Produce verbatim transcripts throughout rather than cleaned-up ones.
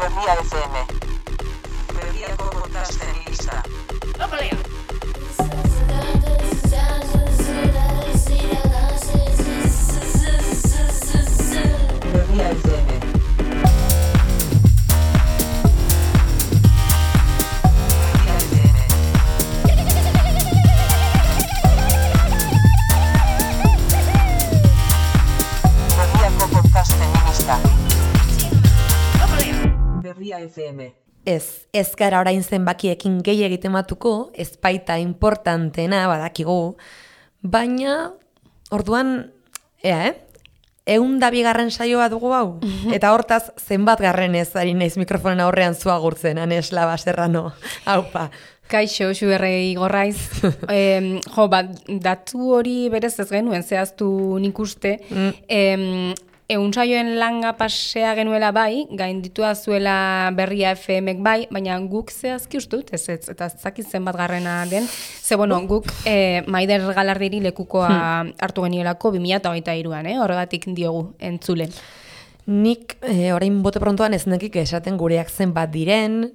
Berria F M. Berriako podcasten lista. Opalea! Berria F M. Berria F M. Ez, ez gara orain zenbakiekin gehi egitematuko, ez baita importantena badakigu, baina orduan, ea, eh? Egun da bigarren saioa dugu hau, eta hortaz zenbat garren ez ari naiz mikrofonen aurrean zua gurtzen, Anes Laba Serrano, haupa. Kaixo, xuberrei gorraiz. e, jo, ba, datu hori berez ez genuen, zehaztu nik uste, mm. e, Egun saioen langa pasea genuela bai, gainditua zuela Berria F M-ek bai, baina guk zehazki uste dut, ez, ez, eta zakit zenbat garrena den, ze bueno, guk e, Maider Galardiri lekukoa hmm. hartu genielako bi mila hogeita hiruan, eh? Horregatik diogu entzule. Nik e, orain bote prontoan ez nekik esaten gureak zenbat diren,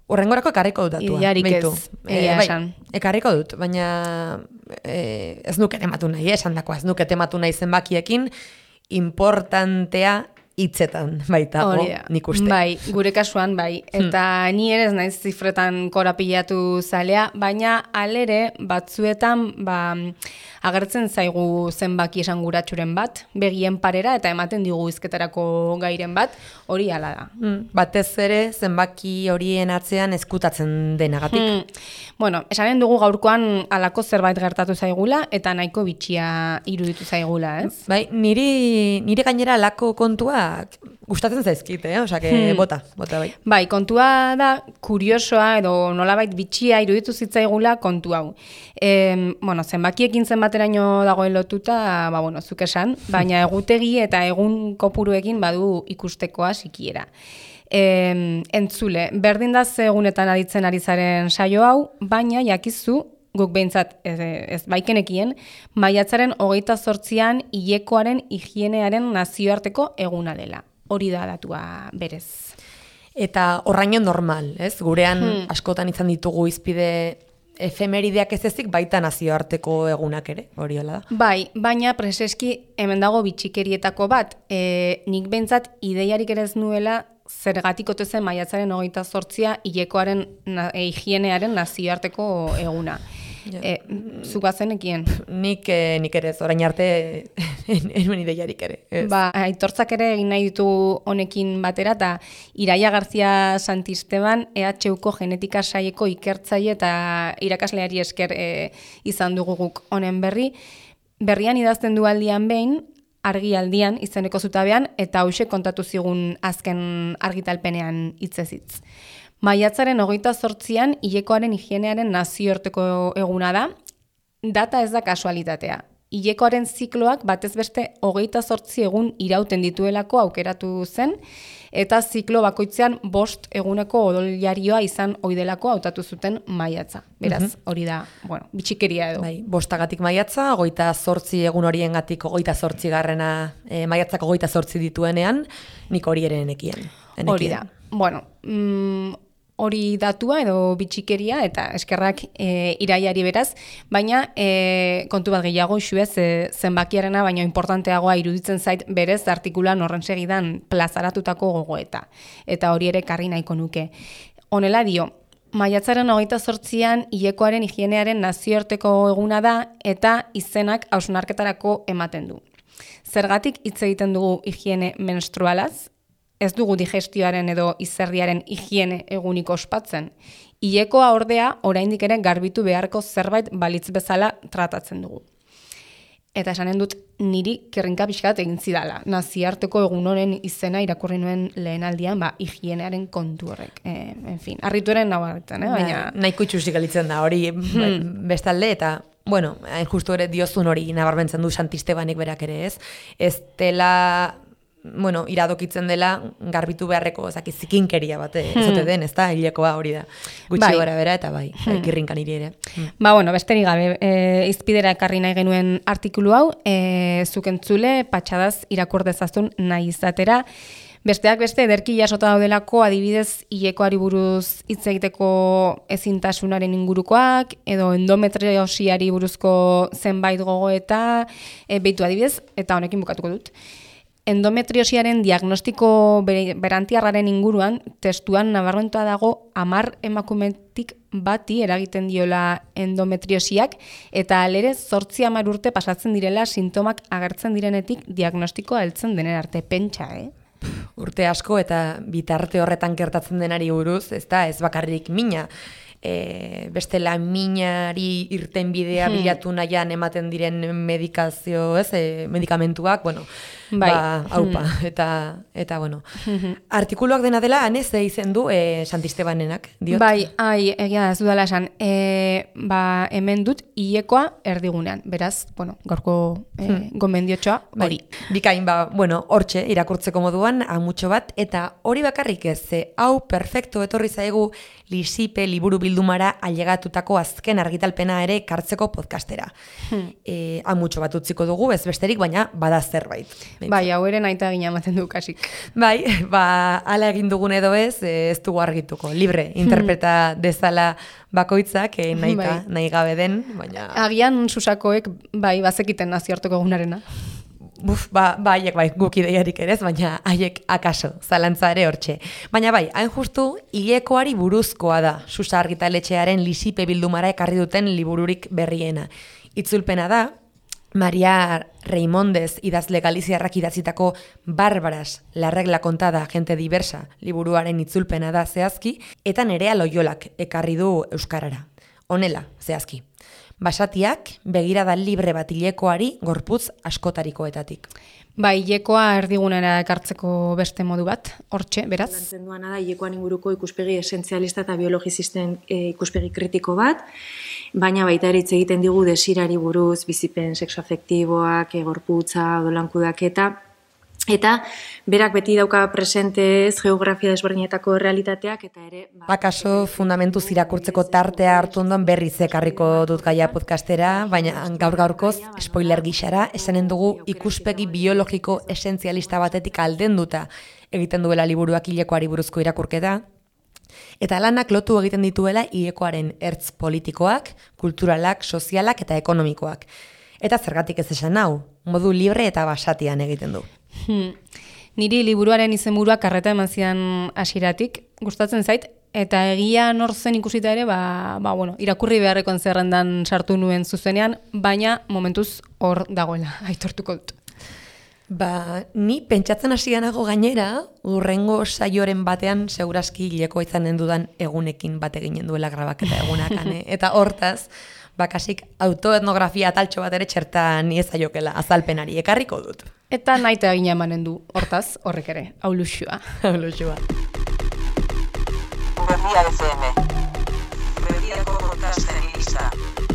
horrengorako ekarriko dut datua. Iarik ez, egia bai, esan. Ekarriko dut, baina e, ez nuke tematu nahi, esan dakoa, ez nuke tematu nahi zenbakiekin, importantea hitzetan baita, o, nik uste. Bai, gure kasuan bai. Eta hmm. ni ere ez naiz zifretan korapilatu zalea, baina alere batzuetan ba, agertzen zaigu zenbaki esanguratsuren bat, begien parera eta ematen digu hizketarako gairen bat, hori hala da. Hmm. Batez ere zenbaki horien atzean ezkutatzen denagatik. Hmm. Bueno, esanen dugu gaurkoan halako zerbait gertatu zaigula eta nahiko bitxia iruditu zaigula, ez? Bai, niri, niri gainera halako kontua gustatzen zaizkit, eh? Osea, hmm. bota, bota bai. Bai, kontua da kuriosoa edo nolabait bitxia iruditu zitzaigula kontu hau. E, bueno, zenbakiekin zenbateraino dagoen lotuta, ba bueno, zuk esan, baina egutegi eta egun kopuruekin badu ikustekoa sikiera. E, entzule, berdin da ze egunetan aditzen ari zaren saio hau, baina jakizu guk behintzat ez, ez baikenekien, maiatzaren hogeita zortzian hilekoaren higienearen nazioarteko eguna dela. Hori da datua berez. Eta horraino normal, ez? Gurean hmm. askotan izan ditugu izpide efemerideak ez ezik baita nazioarteko egunak ere, hori hola da. Bai, baina preseski hemen dago bitxikerietako bat. E, nik behintzat ideiarik ere ez nuela zergatik ote zen maiatzaren hogeita zortzia hilekoaren na, e, higienearen nazioarteko eguna. Ja. E, zuk bazenekien? Nik, eh, nik ere ez, orain arte enuen ideiarik ere. Ez. Ba, aitortzak ere egin nahi ditu honekin batera, eta Iraia Garzia Santisteban E H Uko genetika saieko ikertzaile eta irakasleari esker e, izan dugu guk honen berri. Berrian idazten du aldian behin, argialdian izeneko zutabean, eta hoxe kontatu zigun azken argitalpenean hitzez hitz. Maiatzaren hogeita zortzian hilekoaren higienearen nazioarteko eguna da, data ez da kasualitatea. Hilekoaren zikloak batez beste hogeita zortzi egun irauten dituelako aukeratu zen, eta ziklo bakoitzean bost eguneko odoljarioa izan oidelako hautatu zuten maiatza. Beraz, hori da, bueno, bitxikeria edo. Bai, bostagatik maiatza, hogeita zortzi egun horiengatik hogeita zortzi garrena e, maiatzak hogeita zortzi dituenean, nik hori ere enekien. Hori da. Bueno, mm, hori datua edo bitxikeria eta eskerrak e, Iraiari beraz, baina e, kontu bat gehiago xuez e, zenbakiarena, baina importanteagoa iruditzen zait berez artikulan horren segidan plazaratutako gogoeta. Eta hori ere karri nahiko nuke. Honela dio, maiatzaren hogeita zortzian hilekoaren higienearen nazioarteko eguna da eta izenak hausnarketarako ematen du. Zergatik hitz egiten dugu higiene menstrualaz? Ez dugu digestioaren edo izerriaren higiene egunik ospatzen. Hilekoa ordea oraindik ere garbitu beharko zerbait balitz bezala tratatzen dugu. Eta esanen dut niri kerrinka pixkat egin zidala. Nazioarteko egun honen izena irakurri nuen lehenaldian, ba, higienearen kontu horrek. E, en fin, harrituaren nabarretan, eh? Baina... Nahiko itxusik galitzen da, hori hmm. bestalde, eta, bueno, hain justu ere diozun hori nabarmentzen du Santistebanik berak ere ez. Ez dela... bueno, iradokitzen dela garbitu beharreko, ezaki zikinkeria bat, ez ote den, ez da, hilekoa hori da. Gutxi bai. Gara bera eta bai, hmm. kirrinkan iri ere. Hmm. Ba, bueno, besterik gabe, e, izpidera ekarri nahi genuen artikulu hau, e, zuk entzule, patxadaz irakur dezazun nahi izatera, Besteak beste, ederki jasota daudelako adibidez hilekoari buruz hitz egiteko ezintasunaren ingurukoak, edo endometriosiari buruzko zenbait gogoeta, e, behitu adibidez, eta honekin bukatuko dut. Endometriosiaren diagnostiko berantiarraren inguruan, testuan nabarmentua dago hamar emakumetik bati eragiten diola endometriosiak, eta alere zortzi hamar urte pasatzen direla sintomak agertzen direnetik diagnostikoa heltzen denen arte, pentsa, eh? Urte asko eta bitarte horretan gertatzen denari buruz, ez da, ez bakarrik mina. E, bestela minari irten bidea hmm. bilatu nahian ematen diren medikazio, ez, e, medikamentuak, bueno, bai. ba, haupa, hmm. eta, eta, bueno. Hmm. Artikuluak dena dela, anez, izen du, e, Santistebanenak, diot? Bai, ai, egia da, ez dudala esan, e, ba, hemen dut, hilekoa erdigunean, beraz, bueno, gaurko e, hmm. gomendiotxoa, hori. Bai. Bikain, ba, bueno, hortxe, irakurtzeko moduan, amutxo bat, eta hori bakarrik ez, e, hau perfecto etorri zaigu Lisipe liburu bildumara ailegatutako azken argitalpena ere kartzeko podcastera. Hmm. E, amutxo bat utziko dugu, ez besterik, baina bada zerbait. Bai, hau ere naita gina ematen du kasik. Bai, ba, ala egin dugun edo ez, ez dugu argituko. Libre, interpreta dezala bakoitzak, eh, nahi, bai. nahi gabe den, baina... Agian susakoek, bai, bazekiten nazioarteko egunarena. Buf, ba, ba, haiek bai, guk ideiarik ere ez, baina haiek akaso, zalantza ere hortxe. Baina bai, hain justu, hilekoari buruzkoa da, Susa argitaletxearen Lisipe bildumara ekarri duten libururik berriena. Itzulpena da, Maria Reimondez idazle galiziarrak idatzitako Barbaras, la regla kontada, gente diversa, liburuaren itzulpena da zehazki, eta Nerea Loiolak ekarri du euskarara. Honela, zehazki. Basatiak, begirada libre bat hilekoari gorputz askotarikoetatik. Bai, hilekoa erdigunera ekartzeko beste modu bat, hortxe, beraz? Lantzen duana da, hilekoan inguruko ikuspegi esentzialista eta biologizisten e, ikuspegi kritiko bat, baina baita ere hitz egiten digu desirari buruz, bizipen sexoafektiboak, e, gorputza, odolankudaketa, eta berak beti dauka presentez geografia desberdinetako realitateak eta ere... Bakaso fundamentuz irakurtzeko tartea hartu ondoan berriz ekarriko dut gaia podcastera, baina gaur gaurkoz, spoiler gixara, esanen dugu ikuspegi biologiko esentzialista batetik aldenduta egiten duela liburuak hilekoari buruzko irakurketa, eta lanak lotu egiten dituela hilekoaren ertz politikoak, kulturalak, sozialak eta ekonomikoak. Eta zergatik ez esan hau, modu libre eta basatian egiten du. Hmm. Niri liburuaren izenburua karreta eman zidan hasieratik, gustatzen zait, eta egia nor zen ikusita ere, ba, ba, bueno, irakurri beharrekoen zerrendan sartu nuen zuzenean, baina momentuz hor dagoela, aitortuko dut. Ba, ni pentsatzen hasianago gainera, urrengo saioren batean segurazki hilekoa izanen dudan egunekin bat eginen duela grabaketa egunak, eta hortaz, bakasik autoetnografia taltxo bat ere txertan niezaiokela azalpenari ekarriko dut. Eta naita egina emanen du, hortaz, horrek ere, hau luxua. Hau luxua. Berria F M. Berriako podcasten gisa.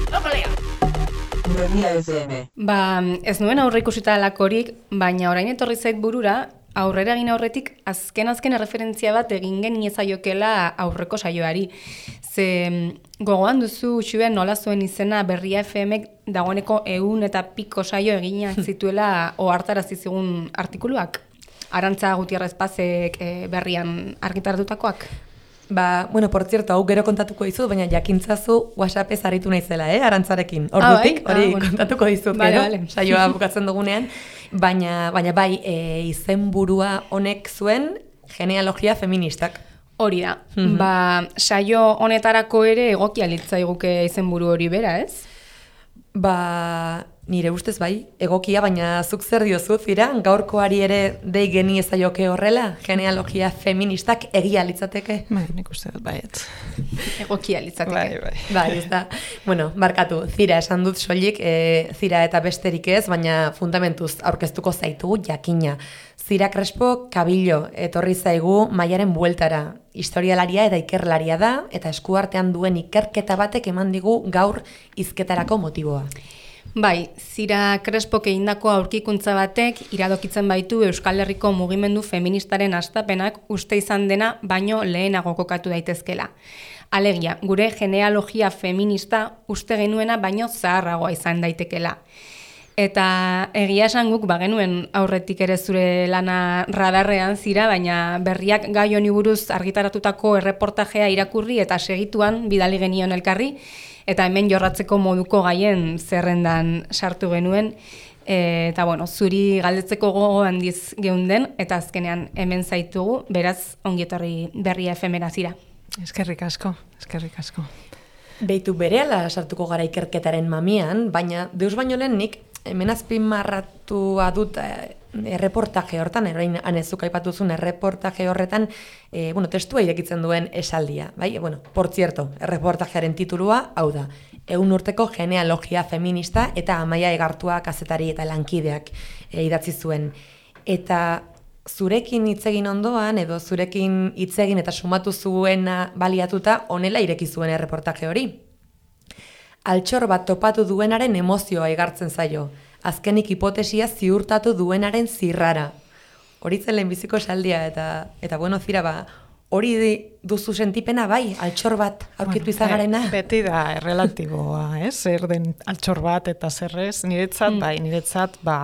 Berria F M. Ba, ez nuen aurre ikusita lakorik, baina orain etorri zait burura, aurrera egin aurretik azken-azken erreferentzia bat egin geniezaiokela aurreko saioari. Ze gogoan duzu Xuen nola zuen izena Berria F Mek dagoeneko ehun eta piko saio eginak zituela ohartarazi zigun artikuluak? Arantza Gutierrez Pazek e, berrian argitartutakoak? Ba, bueno, por cierto, hau gero kontatuko dizut, baina jakintzazu WhatsAppez aritu naizela, eh, Arantzarekin. Ordutik, hori ah, bueno. kontatuko dizut, vale, gero, vale. Saioa bukatzen dugunean. Baina, baina bai, e, izenburua honek zuen genealogia feministak. Hori da. Mm-hmm. Ba, saio honetarako ere egokia litzaiguke izenburu hori bera, ez? Ba, nire ustez bai, egokia, baina zuk zer diozu, Zira, gaurkoari ere dei geni ezaioke horrela, genealogia feministak egia litzateke? Bai, nik uste dut baiet. Egokia litzateke. Bai, bai. Bai, ez da. Bueno, barkatu, Zira esan dut soilik, e, Zira eta besterik ez, baina fundamentuz aurkeztuko zaitugu jakina. Zira Crespo Kabillo etorri zaigu Maiaren bueltara. Historialaria eta ikerlaria da, eta eskuartean duen ikerketa batek eman digu gaur hizketarako motiboa. Bai, Zira Crespok egindako aurkikuntza batek iradokitzen baitu Euskal Herriko mugimendu feministaren hastapenak uste izan dena baino lehenago kokatu daitezkela. Alegia, gure genealogia feminista uste genuena baino zaharragoa izan daitekela. Eta egia esan guk bagenuen aurretik ere zure lana radarrean zira, baina berriak gai honi buruz argitaratutako erreportajea irakurri eta segituan bidali genion elkarri, eta hemen jorratzeko moduko gaien zerrendan sartu genuen, e, eta bueno, zuri galdetzeko gogo handiz geunden, eta azkenean hemen zaitugu, beraz ongietorri berria efemera zira. Eskerrik asko, eskerrik asko. Beitu berehala sartuko gara ikerketaren mamian, baina deus baino lehen nik hemen azpimarratua dut eh, erreportaje hortan, eroin anezuk aipatuzun erreportaje horretan, eh, bueno, testua irekitzen duen esaldia, bai? Bueno, por cierto, erreportajearen titulua, hau da, ehun urteko genealogia feminista eta Amaia Egartua kazetari eta lankideak eh, idatzi zuen. Eta zurekin hitzegin ondoan, edo zurekin hitzegin eta sumatu zuena baliatuta, honela ireki zuen erreportaje hori. Altxor bat topatu duenaren emozioa igartzen zaio, azkenik hipotesia ziurtatu duenaren zirrara. Hori zen lehenbiziko esaldia, eta, eta bueno, zira ba, hori duzu sentipena bai, altxor bat aurkitu bueno, izanarena? Beti da errelatiboa, ez? Zer den altxor bat eta zerrez, niretzat, mm. bai, niretzat, ba,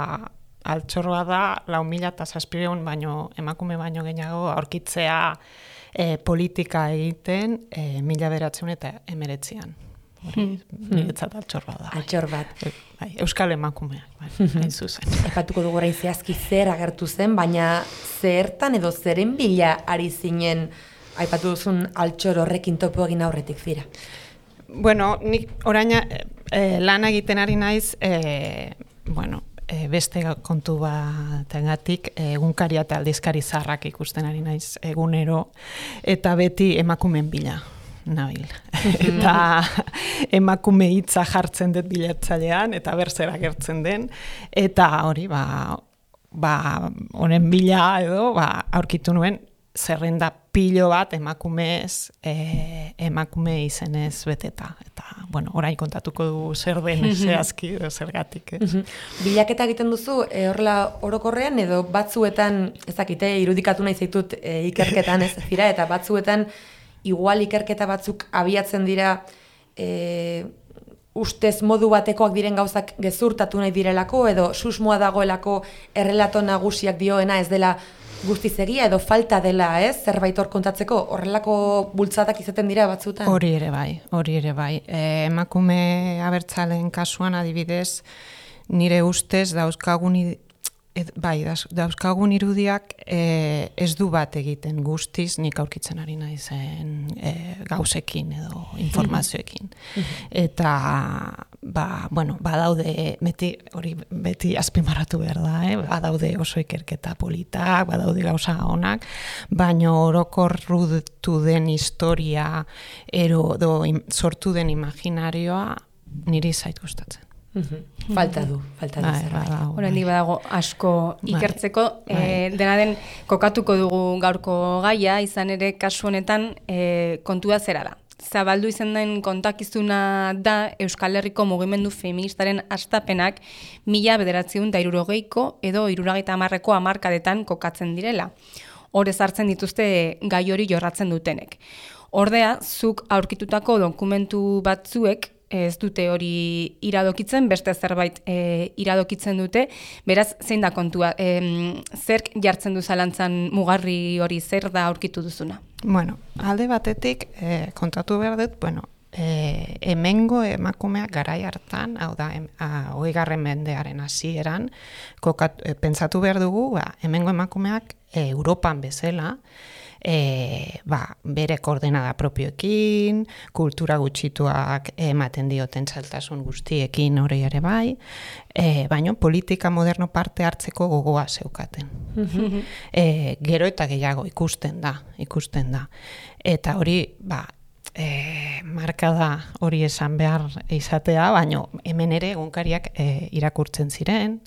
altxorra da, lau mila eta zazpireun baino, emakume baino gehiago aurkitzea e, politika egiten e, mila beratzen eta emeretzian. Hori, niretzat altxor bat da. Altxor bat. Bai, Euskal emakumeak, bai, hain zuzen. Epatuko dugu orain zehazki zer agertu zen, baina zertan edo zeren bila ari zinen aipatu duzun altxor horrekin topo egin aurretik zira? Bueno, nik oraina e, lan egiten ari naiz, e, bueno, e, beste kontu batengatik egunkaria eta aldizkari zaharrak ikusten ari naiz egunero, eta beti emakumeen bila nabil. Eta emakume hitza jartzen dut bilatzailean, eta berzera gertzen den, eta hori, ba, ba, honen bila edo, ba, aurkitu nuen, zerrenda pilo bat emakumez, e, emakume izenez beteta. Eta, bueno, orain kontatuko du zer den zehazki, zergatik. Eh? Bilaketa egiten duzu, e, horrela orokorrean, edo batzuetan, ezakite, irudikatu nahi zaitut e, ikerketan ez zira, eta batzuetan, igual ikerketa batzuk abiatzen dira e, ustez modu batekoak diren gauzak gezurtatu nahi direlako, edo susmoa dagoelako errelato nagusiak dioena ez dela guztiz egia, edo falta dela, ez? Zerbait hor kontatzeko, horrelako bultzatak izaten dira batzutan? Hori ere bai, hori ere bai. E, emakume abertzaleen kasuan adibidez, nire ustez dauzkagun Ed, bai, dauzkagun irudiak e, ez du bat egiten guztiz nik aurkitzen ari naizen e, gauzekin edo informazioekin. Eta, ba, bueno, badaude, beti, hori beti azpimarratu behar da, eh? Badaude oso ikerketa politak, badaude gauza onak, baina orokorrutu den historia, ero, do, im, sortu den imaginarioa niri zait gustatzen. Mm-hmm. Falta du, falta du zerbait. Horrendik badago asko ikertzeko, bai. E, dena den kokatuko dugu gaurko gaia, izan ere kasu honetan e, kontua zera da. Zabaldu izan den kontakizuna da Euskal Herriko mugimendu feministaren hastapenak mila bederatziehun eta hirurogeiko edo hirurogeita hamarreko hamarkadetan kokatzen direla. Hor ezartzen dituzte gai hori jorratzen dutenek. Ordea, zuk aurkitutako dokumentu batzuek ez dute hori iradokitzen, beste zerbait e, iradokitzen dute, beraz, zein da kontua? E, zerk jartzen du zalantzan mugarri hori, zer da aurkitu duzuna? Bueno, alde batetik, e, kontatu behar dut, bueno, e, hemengo emakumeak garai hartan, hau da, hogeigarren mendearen hasieran, e, pentsatu behar dugu, ba, hemengo emakumeak e, Europan bezala, E, ba, bere koordenada propioekin, kultura gutxituak ematen dioten zailtasun guztiekin hori ere bai, e, baina politika moderno parte hartzeko gogoa zeukaten. e, gero eta gehiago ikusten da, ikusten da. Eta hori, ba, e, marka da hori esan behar izatea, baina hemen ere egunkariak e, irakurtzen ziren,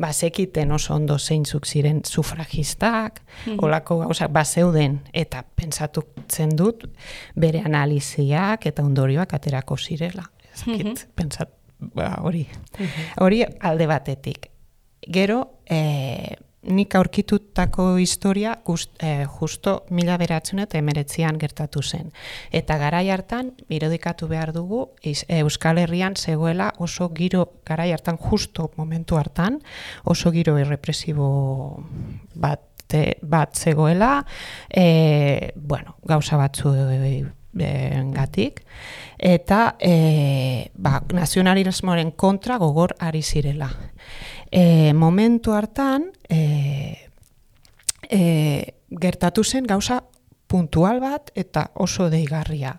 bazekiten oso ondo zeintzuk ziren sufragistak, mm-hmm. olako gauzak bazeuden, eta pentsatutzen dut bere analiziak eta ondorioak aterako zirela. Ezakit, mm-hmm. pentsat, ba, hori. Mm-hmm. Hori alde batetik. Gero, e, nik aurkitutako historia gust, eh, justo mila beratzen eta emeretzian gertatu zen. Eta garai hartan, irudikatu behar dugu, iz, Euskal Herrian zegoela oso giro, garai hartan, justo momentu hartan, oso giro errepresibo bat, bat zegoela, e, bueno, gauza batzu e, gatik, eta e, ba, nazionalismoaren kontra gogor ari zirela. E, momentu hartan, e, e, gertatu zen gauza puntual bat eta oso deigarria.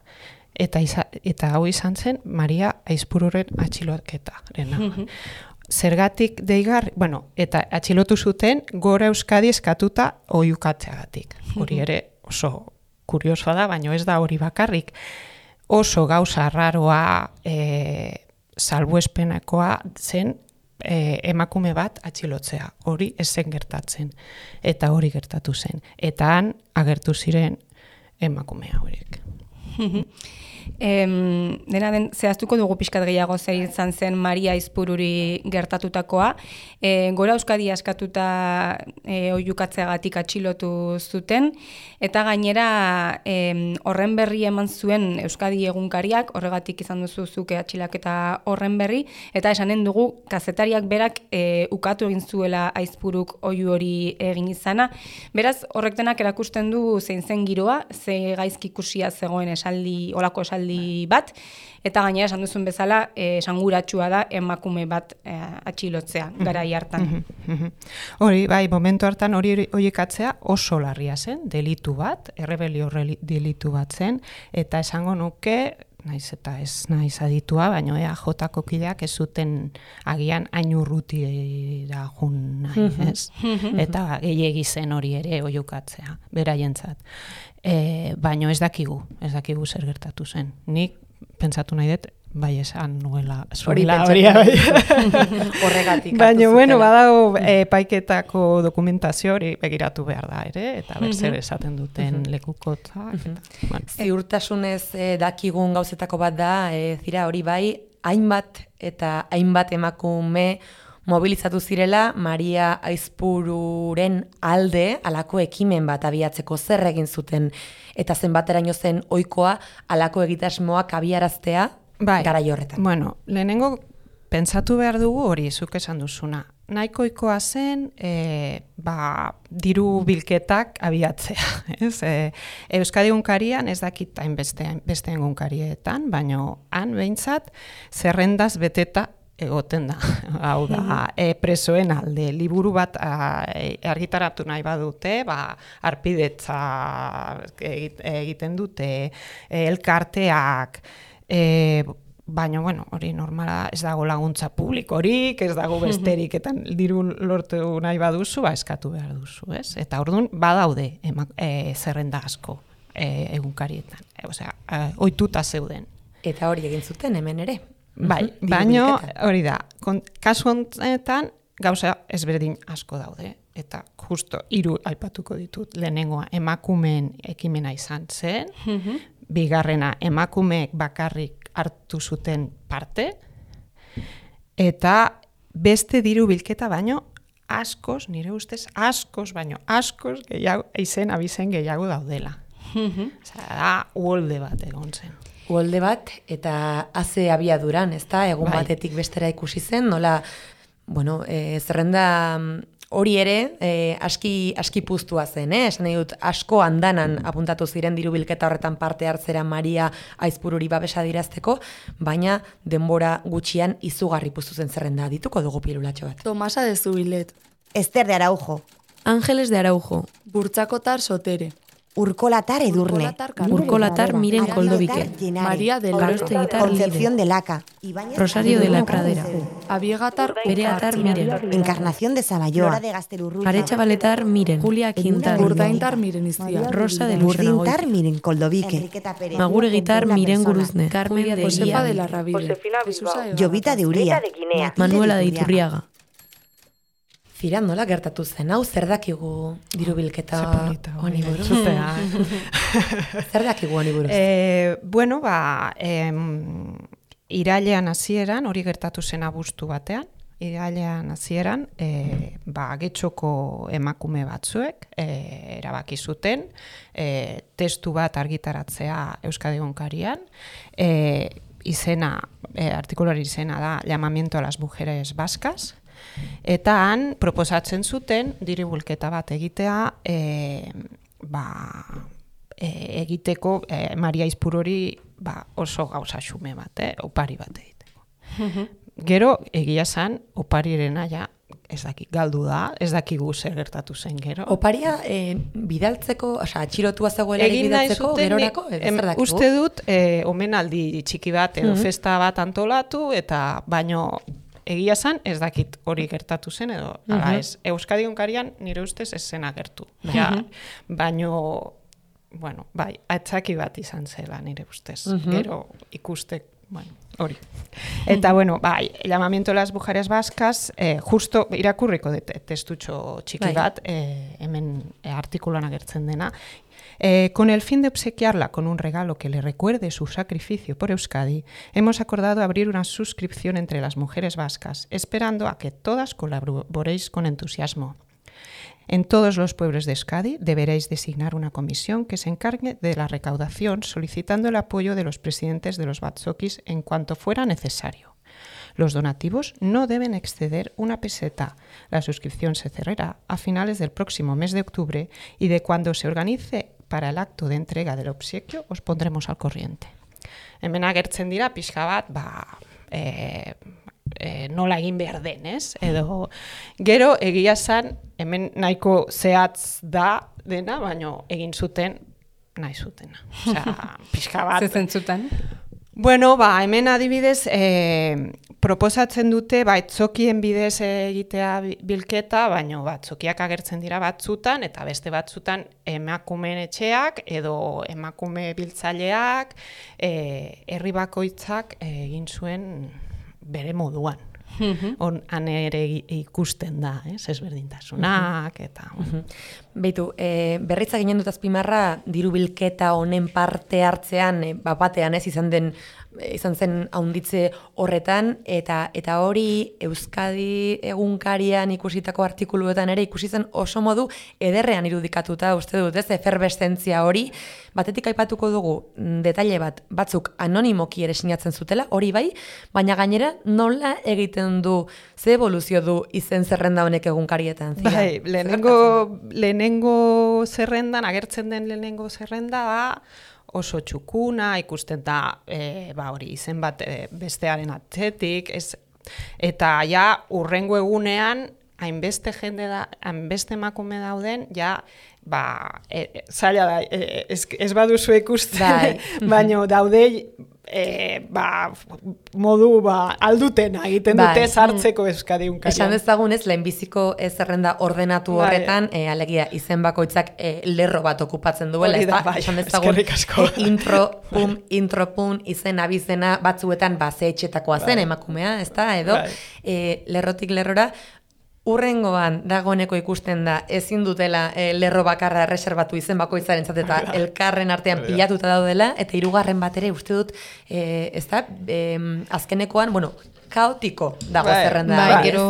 Eta, iza, eta hau izan zen Maria Aizpururen atxiloketa. Zergatik deigarri, bueno, eta atxilotu zuten Gora Euskadi eskatuta oiukatzeagatik. Hori ere oso kuriosoa da, baina ez da hori bakarrik. Oso gauza raroa, e, salbuespenakoa zen e, emakume bat atxilotzea. Hori ez zen gertatzen. Eta hori gertatu zen. Eta han agertu ziren emakumea horiek. Em, dena den, zehaztuko dugu pixkat gehiago zer izan zen Maria Aizpururi gertatutakoa. E, Gora Euskadi askatuta e, oihukatzeagatik atxilotu zuten, eta gainera em, horren berri eman zuen Euskadi egunkariak, horregatik izan duzu zuke atxilaketa horren berri, eta esanen dugu kazetariak berak e, ukatu egin zuela Aizpuruk oihu hori egin izana. Beraz, horrek denak erakusten du zein zen giroa, ze gaizki ikusia zegoen esaldi, olako esaldi bat, eta gainera esan duzun bezala eh, esanguratsua da emakume bat eh, atxilotzea garai hartan. Hori, bai, momentu hartan hori oiekatzea oso larria zen, delitu bat, errebelio delitu bat zen, eta esango nuke, naiz eta ez naiz aditua, baina ea jotako kideak ez zuten agian hain urrutira jun nahi, ez? Eta gehiegi zen hori ere oiukatzea, beraientzat. E, baina ez dakigu, ez dakigu zer gertatu zen. Nik pentsatu nahi dut, bai esan nuela zuela hori. Horregatik. Baina, bueno, badago epaiketako dokumentazio hori begiratu behar da, ere? Eta berzer esaten duten lekukotzak. Bueno. Ziurtasunez eh, dakigun gauzetako bat da, eh, zira hori bai, hainbat eta hainbat emakume mobilizatu zirela Maria Aizpururen alde alako ekimen bat abiatzeko zer egin zuten eta zenbateraino zen ohikoa alako egitasmoak abiaraztea bai, garai horretan. Bueno, lehenengo pentsatu behar dugu hori zuk esan duzuna. Nahikoikoa zen e, ba, diru bilketak abiatzea. Ez? E, Euskadi egunkarian ez dakit hainbeste beste egunkarietan, baina han behintzat zerrendaz beteta egoten da. Hau da, e, presoen alde, liburu bat a, e, argitaratu nahi badute, ba, arpidetza egiten dute, e, elkarteak, e, baina, bueno, hori normala ez dago laguntza publikorik, ez dago besterik, eta diru lortu nahi baduzu, ba, eskatu behar duzu, ez? Eta orduan badaude ema, e, zerrenda asko e, egunkarietan, e, osea, e, ohituta zeuden. Eta hori egin zuten hemen ere. Bai, baino hori da, kasu honetan gauza ezberdin asko daude, eta justo hiru aipatuko ditut. Lehenengoa emakumeen ekimena izan zen, bigarrena emakumeek bakarrik hartu zuten parte, eta beste diru bilketa baino askoz, nire ustez, askoz baino, askoz gehiago, izen abizen gehiago daudela. Osea, da, uholde bat egon zen. Uholde bat, eta haze abiaduran, ez da, egun bai. batetik bestera ikusi zen, nola, bueno, e, zerrenda hori ere, e, aski, aski puztua zen, eh? Esan nahi dut, asko andanan apuntatu ziren diru bilketa horretan parte hartzera Maria Aizpururi babesa dirazteko, baina denbora gutxian izugarri puztu zen zerrenda, dituko dugu pirulatxo bat. Tomasa de Zubilet, Ester de Araujo, Ángeles de Araujo, Burtsakotar Sotere, Urkolatar Edurne, Urkolatar Miren Koldobike, María del Aro, Concepción de Laca, Rosario de la Pradera, Abiegatar Bereatar Miren, Encarnación de Sabayoa, Aretxa Baletar Miren, Julia Quintal, Burdaintar Miren Iztia, Rosa de Burdintar Luxenagoiti, Miren Koldobique, Maguregitar Miren Guruzne, Carmen de Josefa de la Rabide, Jovita de Uría, Manuela de Iturriaga. Zira, nola gertatu zen, hau zer dakigu diru bilketa honi buruz? Zer dakigu honi buruz? E, bueno, ba, em, irailean hasieran hori gertatu zen abuztu batean, irailean hasieran, e, ba, getxoko emakume batzuek e, erabaki zuten e, testu bat argitaratzea Euskadi Egunkarian, e, izena, e, artikulari izena da Llamamiento a las mujeres vascas, eta han proposatzen zuten diribulketa bat egitea e, ba, e, egiteko e, Maria Izpurori ba, oso gauza xume bat, eh, opari bat egiteko. Gero, egia zan, oparirena ja, ez dakik, galdu da, ez dakigu zer gertatu zen gero. Oparia e, bidaltzeko, oza, atxilotua zegoelarik Egin nahi bidaltzeko, zuten, gerorako, edo em, zer dakigu? uste dut, e, omenaldi txiki bat, edo Mhm. festa bat antolatu, eta baino egia zan, ez dakit hori gertatu zen, edo ala Mhm. ez. Euskadi Egunkarian nire ustez ez zen agertu. Ja, baino, bueno, bai, atzaki bat izan zela nire ustez. Mhm. Gero ikustek, bueno, hori. Eta, bueno, bai, Llamamiento a las mujeres vascas, eh, justo irakurriko dut testutxo txiki Bai. bat, eh, hemen eh, artikuluan agertzen dena. Eh, con el fin de obsequiarla con un regalo que le recuerde su sacrificio por Euskadi, hemos acordado abrir una suscripción entre las mujeres vascas, esperando a que todas colaboréis con entusiasmo. En todos los pueblos de Euskadi deberéis designar una comisión que se encargue de la recaudación, solicitando el apoyo de los presidentes de los batzokis en cuanto fuera necesario. Los donativos no deben exceder una peseta. La suscripción se cerrará a finales del próximo mes de octubre y de cuando se organice para el acto de entrega del obsequio os pondremos al corriente. Hemen agertzen dira pixka bat, ba, e, e, nola egin behar den, ez? Edo, gero egia zan, hemen nahiko zehatz da dena, baino egin zuten nahi zutena. Osea, pixka bat. Zezen zuten? Bueno, ba, hemen adibidez, e, proposatzen dute, ba, etzokien bidez egitea bilketa, baino batzokiak agertzen dira batzutan, eta beste batzutan emakumeen etxeak, edo emakume biltzaileak, e, herri bakoitzak egin zuen bere moduan. On, han ere ikusten da, ez, ezberdintasunak, eta... Beitu, e, berritza ginen dut azpimarra, diru bilketa honen parte hartzean, e, bapatean ez izan den, e, izan zen haunditze horretan, eta eta hori Euskadi Egunkarian ikusitako artikuluetan ere ikusi zen oso modu ederrean irudikatuta, uste dut, ez, eferbeszentzia hori, batetik aipatuko dugu detaile bat, batzuk anonimoki ere sinatzen zutela, hori bai, baina gainera nola egiten du, ze evoluzio du izen zerrenda honek egunkarietan? Zira? Bai, lehenengo, lehenengo zerrendan, agertzen den lehenengo zerrenda da, oso txukuna, ikusten da, e, ba hori, izen bat e, bestearen atzetik, ez, eta ja, urrengo egunean, hainbeste jende da, hainbeste emakume dauden, ja, ba, e, e, zaila da, e, ez, ez baduzu ikusten, Bai. baino daude, e, ba, modu ba, aldutena egiten dute Bai. sartzeko Euskadi Egunkarian. Esan dezagun ez, lehenbiziko ez zerrenda ordenatu Bai. horretan, e, alegia izen bakoitzak e, lerro bat okupatzen duela, Hori da, ezta? bai, Esan dezagun eskerrik asko. e, intro, pum, intro, pum, izen abizena batzuetan ba, ze etxetakoa zen Bai. emakumea, ezta? Edo, Bai. e, lerrotik lerrora, urrengoan dagoeneko ikusten da ezin dutela e, lerro bakarra reserbatu izen bakoitzarentzat eta elkarren artean pilatuta daudela, eta hirugarren bat ere uste dut, e, ez da, e, azkenekoan, bueno, kaotiko dago Bai, zerrenda. Bai, Bai, gero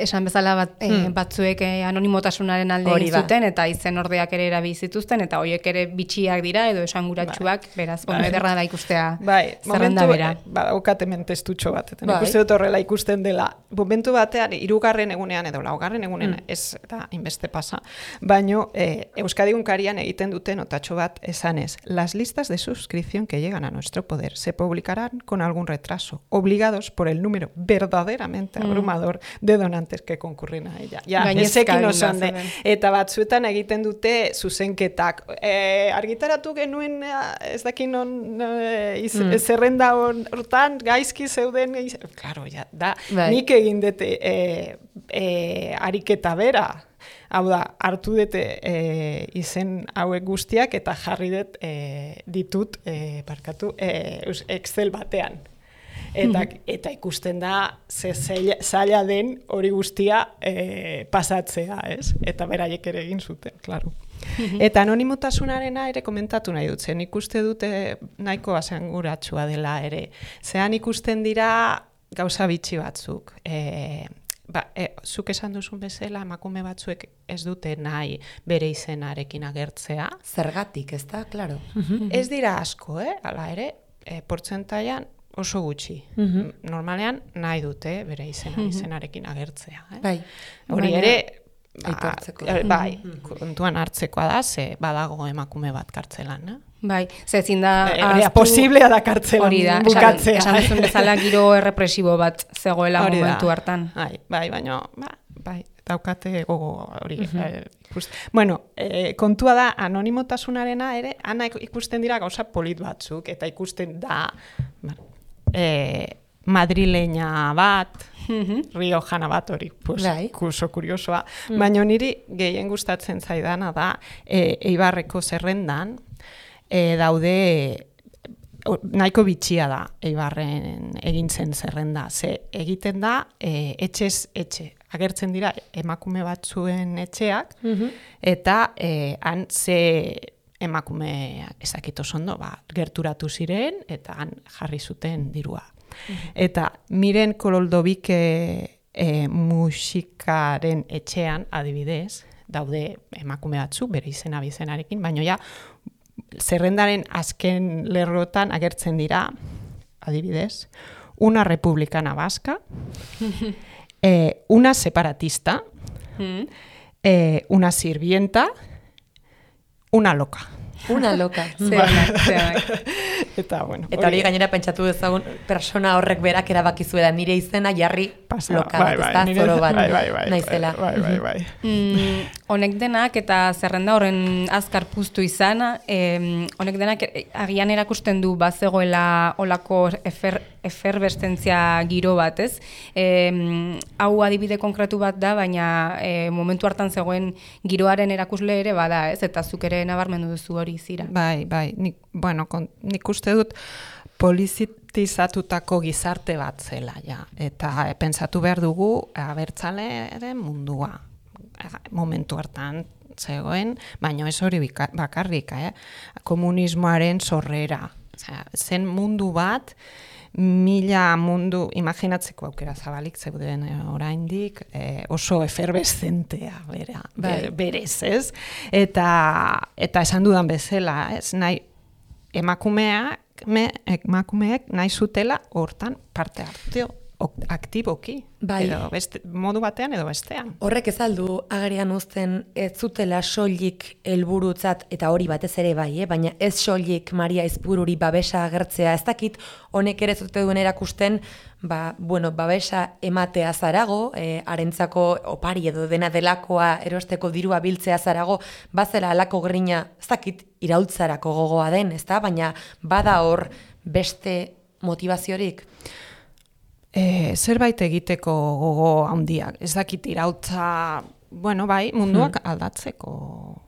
esan bezala bat, eh, Hmm. batzuek eh, anonimotasunaren alde Hori egin da. zuten, eta izen ordeak ere erabili zituzten, eta horiek ere bitxiak dira, edo esanguratsuak, beraz, bueno, Bai. ederra da ikustea Bai, zerrenda momentu, bera. eh, ba, daukat hemen testutxo bat, eta Bai. ikuste dut horrela ikusten dela. Momentu batean, hirugarren egunean edo laugarren egunean, Mm. ez da inbeste pasa, baino eh, Euskadi Egunkarian egiten duten otatxo bat esanez, las listas de suscripción que llegan a nuestro poder se publicarán con algún retraso, obligados por el número verdaderamente abrumador de donantes que concurren a ella. Ja, Gainezka ezekin eginda oso hande. zeuden. Eta batzuetan egiten dute zuzenketak. E, argitaratu genuen, eh, ez dakin non, eh, iz, Mm. zerrenda hor- hortan, gaizki zeuden, iz, claro, ja, da, Bai. nik egin dute e, e, ariketa bera. Hau da, hartu dute e, izen hauek guztiak eta jarri dut e, ditut, e, barkatu, e, Excel batean. Eta, eta ikusten da ze zaila, zaila den hori guztia e, pasatzea, ez? Eta beraiek ere egin zuten, claro. Eta anonimotasunarena ere komentatu nahi dut, zen ikuste dute nahiko asanguratsua dela ere. Zean ikusten dira gauza bitxi batzuk. E, ba, e, zuk esan duzun bezala, emakume batzuek ez dute nahi bere izenarekin agertzea. Zergatik, ez da, klaro. Ez dira asko, eh? Hala ere, e, portzentaian oso gutxi. Normalean nahi dute bere izena, izenarekin agertzea. Eh? Bai. Hori Baina- ere, Aitortzeko. Ba, bai, kontuan hartzekoa da, ze badago emakume bat kartzelan, eh? Bai, ze ezin da Ea, posiblea da kartzelan hori da, bukatzea. esan, esan duzun bezala giro errepresibo bat zegoela Hori da. momentu hartan. Bai, bai, baina, ba, bai, daukate gogo hori. eh, ikust- Bueno, eh, kontua da, anonimotasunarena ere, ana ikusten dira gauza polit batzuk, eta ikusten da, bueno, eh, madrileña bat, riojana bat hori, pues, Bai. oso kuriosoa. Baina niri gehien gustatzen zaidana da, e, Eibarreko zerrendan, e, daude, o, nahiko bitxia da Eibarren egintzen zerrenda. Ze egiten da, e, etxez etxe. Agertzen dira emakume batzuen etxeak, eta e, han ze emakume ezakito ondo, ba, gerturatu ziren, eta han jarri zuten dirua. Eta Miren Kololdobike e, musikaren etxean, adibidez, daude emakume batzu, bere izena bizenarekin, baina ja, zerrendaren azken lerrotan agertzen dira, adibidez, una republicana vasca, eh, una separatista, eh, una sirvienta, una loca. Una loka. Zeonak, zeonak. Eta, bueno, Eta hori gainera pentsatu dezagun persona horrek berak erabaki zuela nire izena jarri pasa, loka bai, bat, bai, ez da, nire- zoro bat, bai, bai, bai, naizela. Bai, bai, bai. Mm, honek denak eta zerrenda horren azkar puztu izana, em, honek denak e- agian erakusten du bazegoela olako efer, eferbestentzia giro bat, ez? Em, hau adibide konkretu bat da, baina e, momentu hartan zegoen giroaren erakusle ere bada, ez? Eta zuk ere nabarmendu duzu hori zira. Bai, bai, nik, bueno, kon, nik uste dut politizatutako gizarte bat zela, ja. Eta e, pentsatu behar dugu abertzalearen mundua. Momentu hartan zegoen, baina ez hori bika- bakarrik, eh? Komunismoaren sorrera. Osea, zen mundu bat, mila mundu, imaginatzeko aukera zabalik zeuden eh, oraindik, eh, oso eferbeszentea bera, Bai. ber- berez, ez? Eta, eta esan dudan bezala, ez? Nahi, emakumeak, me, emakumeek nahi zutela hortan parte hartu ok- aktiboki. Bai. Edo beste, modu batean edo bestean. Horrek ez aldu agerian uzten ez zutela soilik helburutzat, eta hori batez ere bai, eh? Baina ez soilik Maria Aizpururi babesa agertzea, ez dakit honek ere zute duen erakusten, ba, bueno, babesa ematea zarago, eh, harentzako opari edo dena delakoa erosteko dirua biltzea zarago, bazela alako grina, ez dakit iraultzarako gogoa den, ezta? Baina bada hor beste motivaziorik. E, zerbait egiteko gogo handiak. Ez dakit irautza, bueno, bai, munduak aldatzeko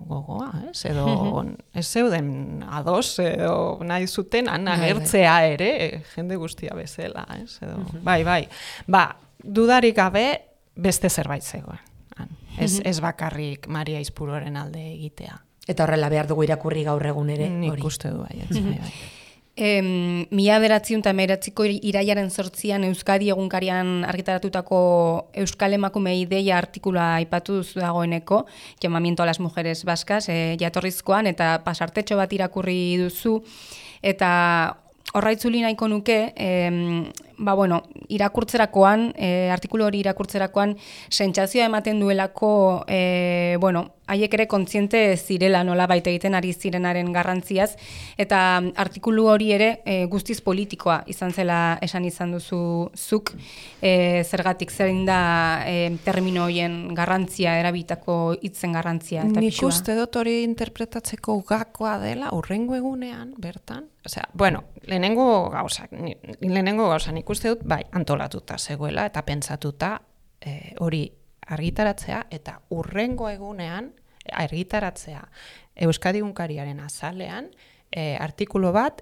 gogoa, ez? Edo ez zeuden ados, edo nahi zuten han agertzea ere, jende guztia bezala, ez? Edo, bai, bai. Ba, dudarik gabe beste zerbait zegoen. Han. Ez, ez bakarrik Maria Aizpururen alde egitea. Eta horrela behar dugu irakurri gaur egun ere Nik hori. uste du bai, ez, bai, bai. Em, mila beratziun eta meratziko iraiaren sortzian Euskadi egunkarian argitaratutako Euskal Emakume Ideia artikula aipatu duzu dagoeneko, llamamiento a las mujeres vascas, e, jatorrizkoan, eta pasartetxo bat irakurri duzu, eta horra itzuli nahiko nuke, em, ba bueno, irakurtzerakoan, e, artikulu hori irakurtzerakoan, sentsazioa ematen duelako, e, bueno, haiek ere kontziente zirela nola baita egiten ari zirenaren garrantziaz, eta artikulu hori ere e, guztiz politikoa izan zela esan izan duzu zuk, e, zergatik zein da e, termino horien garrantzia, erabitako hitzen garrantzia eta Nik pisua. uste dut hori interpretatzeko gakoa dela urrengo egunean, bertan. Osea, bueno, lehenengo gauza, ni- lehenengo gauza nik uste dut, bai, antolatuta zegoela eta pentsatuta eh, hori argitaratzea eta urrengo egunean argitaratzea Euskadi Egunkariaren azalean eh, artikulu bat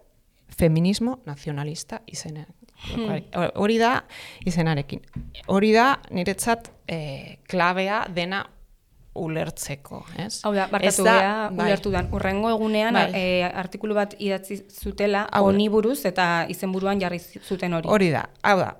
feminismo nazionalista izenean. Hori da izenarekin. Hori da niretzat eh, klabea dena ulertzeko, ez? Hau da, barkatu geha, ulertu dan. Urrengo egunean bai. e, artikulu bat idatzi zutela honi buruz eta izenburuan jarri zuten hori. Hori da, hau da.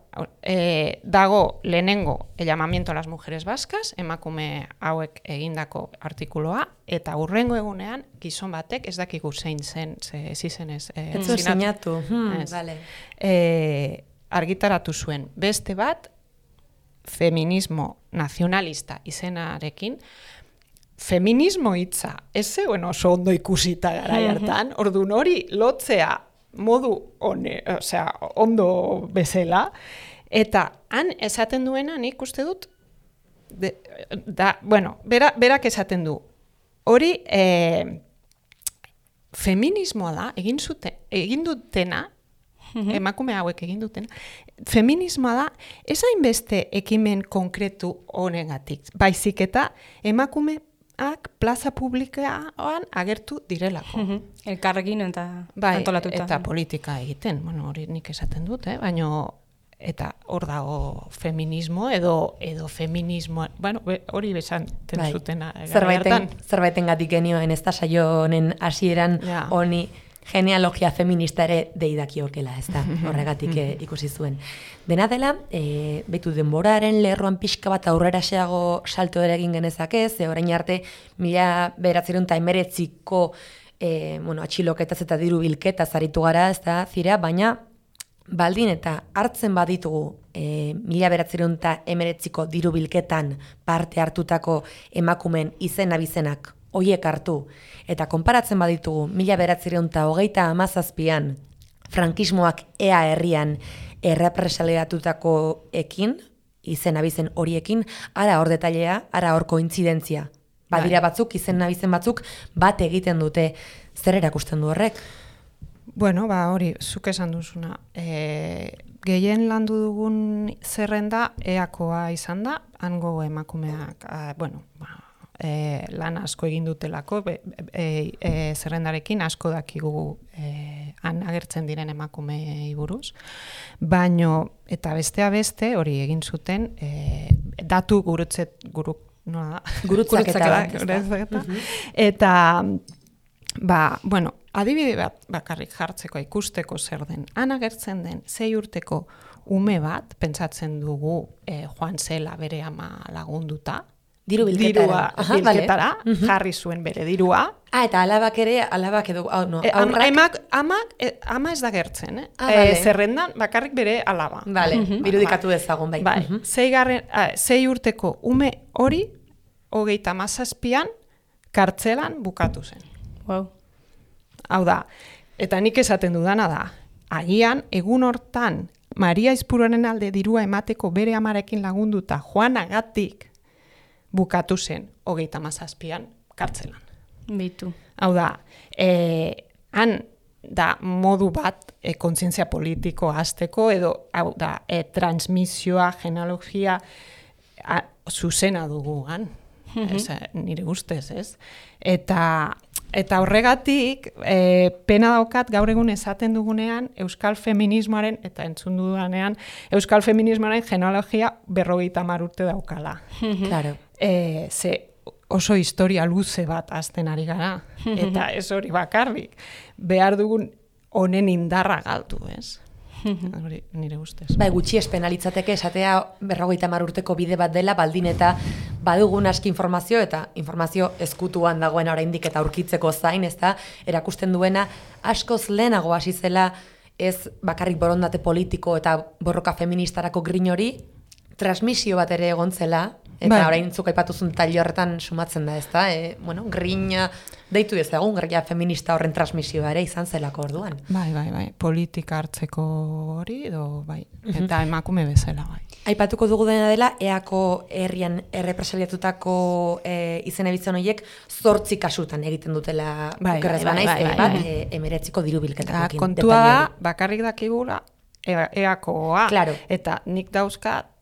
E, dago lehenengo el llamamiento a las mujeres vascas, emakume hauek egindako artikuloa, eta urrengo egunean gizon batek ez dakigu zein zen, ze ez izenez. E, ez zu sinatu. Hmm, vale. e, argitaratu zuen beste bat, feminismo nazionalista izenarekin, feminismo hitza, ez zegoen oso ondo ikusita garai hartan, orduan hori lotzea modu one, osea, ondo bezala, eta han esaten duena nik uste dut, de, da, bueno, bera, berak esaten du, hori e, feminismoa da, egin, zute, egin dutena, emakume hauek egin duten, feminismoa da, ez hainbeste ekimen konkretu honengatik, baizik eta emakumeak plaza publikoan agertu direlako. Elkarrekin eta bai, antolatuta. Eta politika egiten, bueno, hori nik esaten dut, eh? Baina eta hor dago feminismo edo edo feminismo, bueno, hori besan bai. zutena. Zerbaiten, zerbaiten gatik genioen, ez da saio honen hasieran ja. honi genealogia feminista ere deidakiokela, ez da, horregatik e, ikusi zuen. Dena dela, e, betu denboraren lerroan pixka bat aurrera xeago salto ere egin genezake, ze orain arte mila bederatziehun eta hemeretziko e, bueno, atxiloketaz eta diru bilketaz aritu gara, ez da, zira, baina baldin eta hartzen baditugu e, mila bederatziehun eta hemeretziko diru bilketan parte hartutako emakumen izen abizenak hoiek hartu, eta konparatzen baditugu mila bederatziehun eta hogeita hamazazpian frankismoak ea herrian errepresaliatutako ekin, izen abizen horiekin, ara hor detailea, ara hor kointzidentzia. Badira batzuk, izen abizen batzuk, bat egiten dute. Zer erakusten du horrek? Bueno, ba hori, zuk esan duzuna. E, gehien landu dugun zerrenda eakoa izan da, hango emakumeak, a, bueno, ba, E, lan asko egin dutelako, be, e, e, zerrendarekin asko dakigu e, han agertzen diren emakumei buruz, baino eta bestea beste hori egin zuten e, datu gurutzet guru, no, gurutzaketa gurutzaketa eta ba, bueno, adibide bat bakarrik jartzeko ikusteko zer den, han agertzen den sei urteko ume bat, pentsatzen dugu e, joan zela bere ama lagunduta, Diru bilketara. Dirua bilketara, vale. Jarri zuen bere dirua. Ah, eta alabak ere, alabak edo, oh, no, e, aurrak... Emak, amak, e, ama ez da gertzen, eh? Ah, vale. e, zerrendan bakarrik bere alaba. Vale, uh -huh. birudikatu dezagun, bai. Bai, uh -huh. sei, garren, a, sei urteko ume hori, hogeita hamazazpian, kartzelan bukatu zen. Wow. Hau da, eta nik esaten dudana da, agian, egun hortan, Maria Izpuruaren alde dirua emateko bere amarekin lagunduta, Juanagatik, bukatu zen hogeita hamazazpian kartzelan. Bitu. Hau da, e, han da modu bat e, kontzientzia politiko hasteko edo hau da, e, transmisioa, genealogia a, zuzena dugu han. Mm-hmm. Ez, nire ustez, ez? Eta, eta horregatik, e, pena daukat gaur egun esaten dugunean euskal feminismoaren, eta entzun dudanean, euskal feminismoaren genealogia berrogeita hamar urte daukala. Mm-hmm. Claro. E, ze oso historia luze bat azten ari gara, eta ez hori bakarrik, behar dugun honen indarra galdu, ez? Hori nire ustez. Bai, gutxi espenalitzateke esatea berrogeita hamar urteko bide bat dela, baldin eta badugun aski informazio, eta informazio ezkutuan dagoen oraindik eta aurkitzeko zain, ez da, erakusten duena askoz lehenago hasi zela ez bakarrik borondate politiko eta borroka feministarako grin hori, transmisio bat ere egon zela, eta bai. Orain zuk aipatuzun tailo horretan sumatzen da, ez da? E, bueno, grina, deitu dezagun, grina feminista horren transmisioa ere izan zelako orduan. Bai, bai, bai, politika hartzeko hori, edo, bai, eta emakume bezala, bai. Aipatuko dugu dena dela, eako herrian errepresaliatutako e, izen ebitzen horiek zortzi kasutan egiten dutela bai, okerrez bai, banaiz, bai, bai, bat, bai. e, emeretziko diru bilketakokin. Kontua da, bakarrik dakigula, eakoa, claro. Eta nik dauzkat,